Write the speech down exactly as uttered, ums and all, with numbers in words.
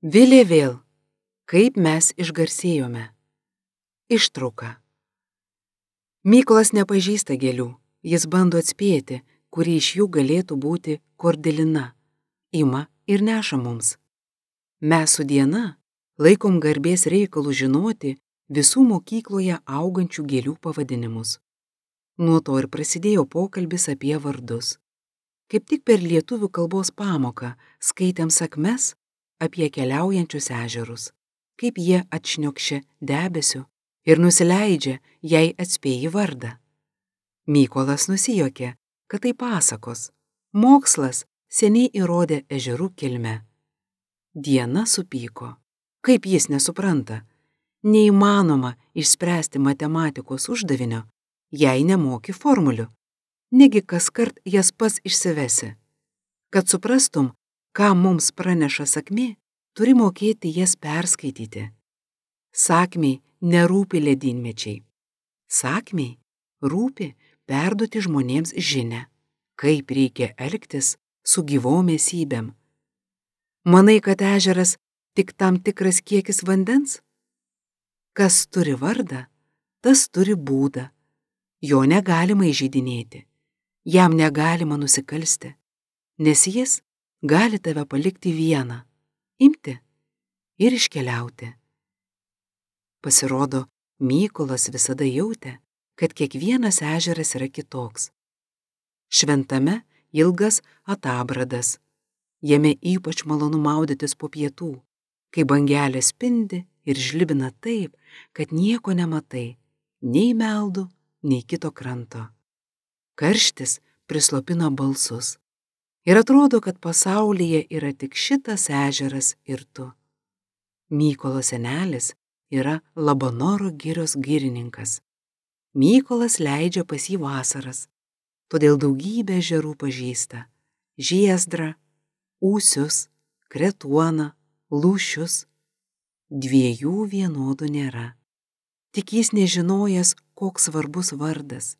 Vilė vėl, kaip mes išgarsėjome. Ištrauka. Mykolas nepažįsta gėlių, jis bando atspėti, kuri iš jų galėtų būti kordelina. Ima ir neša mums. Mes su Diana laikom garbės reikalų žinoti visų mokykloje augančių gėlių pavadinimus. Nuo to ir prasidėjo pokalbis apie vardus. Kaip tik per lietuvių kalbos pamoką skaitėm sakmes apie keliaujančius ežerus, kaip jie atšniokščia debesiu ir nusileidžia, jei atspėji vardą. Mykolas nusijuokė, kad tai pasakos. Mokslas seniai įrodė ežerų kilmę. Diana supyko. Kaip jis nesupranta? Neįmanoma išspręsti matematikos uždavinio, jei nemoki formulių. Negi kaskart jas pats išsivesi. Kad suprastum, ką mums praneša sakmė, turi mokėti jas perskaityti. Sakmiai nerūpi ledynmečiai. Sakmiai rūpi perduoti žmonėms žinią, kaip reikia elgtis su gyvom esybėm. Manai, kad ežeras tik tam tikras kiekis vandens? Kas turi vardą, tas turi būdą. Jo negalima įžeidinėti, jam negalima nusikalsti, nes jis gali tave palikti vieną, imti ir iškeliauti. Pasirodo, Mykolas visada jautė, kad kiekvienas ežeras yra kitoks. Šventame ilgas Atabradas. Jame ypač malonu maudytis po pietų, kai bangelė spindi ir žlibina taip, kad nieko nematai, nei meldų, nei kito kranto. Karštis prislopina balsus. Ir atrodo, kad pasaulyje yra tik šitas ežeras ir tu. Mykolo senelis yra Labanoro girios girininkas. Mykolas leidžia pas jį vasaras, todėl daugybę ežerų pažįsta. Žiezdrą, Ūsius, Kretuoną, Lūšius. Dviejų vienodų nėra. Tik jis nežinojęs, koks svarbus vardas.